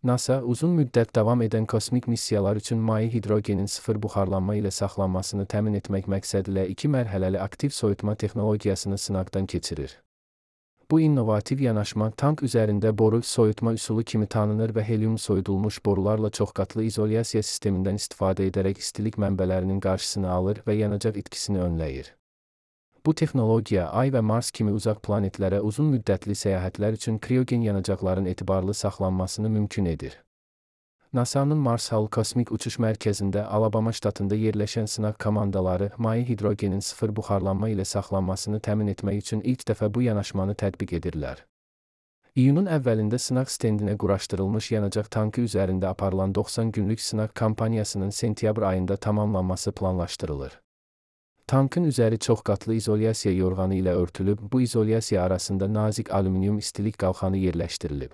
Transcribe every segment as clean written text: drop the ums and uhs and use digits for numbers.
NASA, uzun müddət davam edən kosmik missiyalar üçün maye hidrogenin sıfır buxarlanma ilə saxlanmasını təmin etmək məqsədilə 2 mərhələli aktiv soyutma texnologiyasını sınaqdan keçirir. Bu innovativ yanaşma tank üzərində boru soyutma üsulu kimi tanınır və helium soyudulmuş borularla çoxqatlı izolyasiya sistemindən istifadə edərək istilik mənbələrinin qarşısını alır və yanacaq itkisini önləyir. Bu texnologiya Ay və Mars kimi uzaq planetlərə uzun müddətli səyahətlər üçün kriogen yanacaqların etibarlı saxlanmasını mümkün edir. NASA-nın Mars Hall Kosmik Uçuş Mərkəzində Alabama ştatında yerləşən sınaq komandaları maye hidrogenin sıfır buxarlanma ilə saxlanmasını təmin etmək üçün ilk dəfə bu yanaşmanı tətbiq edirlər. İyunun əvvəlində sınaq stendinə quraşdırılmış yanacaq tankı üzərində aparılan 90 günlük sınaq kampaniyasının sentyabr ayında tamamlanması planlaşdırılır. Tankın üzəri çoxqatlı izolyasiya yorğanı ilə örtülüb, bu izolyasiya arasında nazik alüminium istilik qalxanı yerləşdirilib.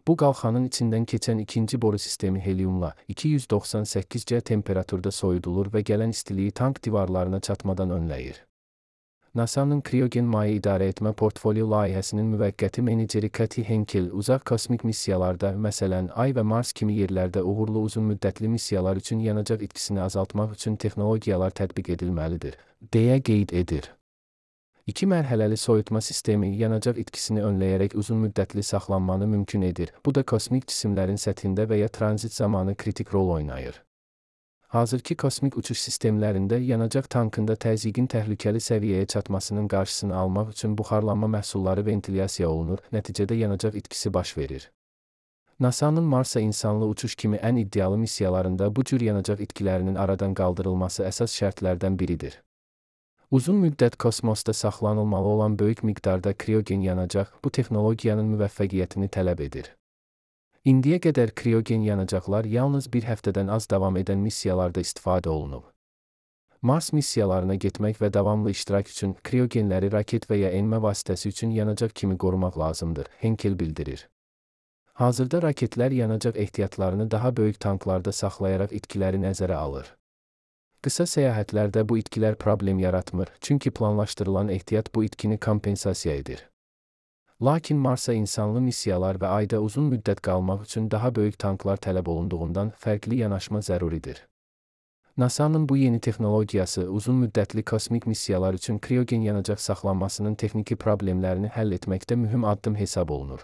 Bu qalxanın içindən keçən ikinci boru sistemi heliumla 298C temperaturda soyudulur və gələn istiliyi tank divarlarına çatmadan önləyir. NASA-nın kriogen maye idarə etmə portfolyo layihəsinin müvəqqəti meneceri Kathy Henkel uzaq kosmik missiyalarda, məsələn, Ay və Mars kimi yerlərdə uğurlu uzun müddətli missiyalar üçün yanacaq itkisini azaltmaq üçün texnologiyalar tətbiq edilməlidir, deyə qeyd edir. 2 mərhələli soyutma sistemi yanacaq itkisini önləyərək uzun müddətli saxlanmanı mümkün edir. Bu da kosmik cisimlərin səthində və ya tranzit zamanı kritik rol oynayır. Hazırki kosmik uçuş sistemlərində yanacaq tankında təzyiqin təhlükəli səviyyəyə çatmasının qarşısını almaq üçün buxarlanma məhsulları ventilyasiya olunur, nəticədə yanacaq itkisi baş verir. NASA-nın Marsa insanlı uçuş kimi ən iddialı missiyalarında bu cür yanacaq itkilərinin aradan qaldırılması əsas şərtlərdən biridir. Uzun müddət kosmosda saxlanılmalı olan böyük miqdarda kriogen yanacaq bu texnologiyanın müvəffəqiyyətini tələb edir. İndiyə qədər kriogen yanacaqlar yalnız bir həftədən az davam edən missiyalarda istifadə olunub. Mars missiyalarına getmək və davamlı iştirak üçün kriogenləri raket və ya enmə vasitəsi üçün yanacaq kimi qorumaq lazımdır, Henkel bildirir. Hazırda raketlər yanacaq ehtiyatlarını daha böyük tanklarda saxlayaraq itkiləri nəzərə alır. Qısa səyahətlərdə bu itkilər problem yaratmır, çünki planlaşdırılan ehtiyat bu itkini kompensasiya edir. Lakin Marsa insanlı missiyalar və Ayda uzun müddət qalmaq üçün daha böyük tanklar tələb olunduğundan fərqli yanaşma zəruridir. NASA-nın bu yeni texnologiyası uzun müddətli kosmik missiyalar üçün kriogen yanacaq saxlanmasının texniki problemlərini həll etməkdə mühüm addım hesab olunur.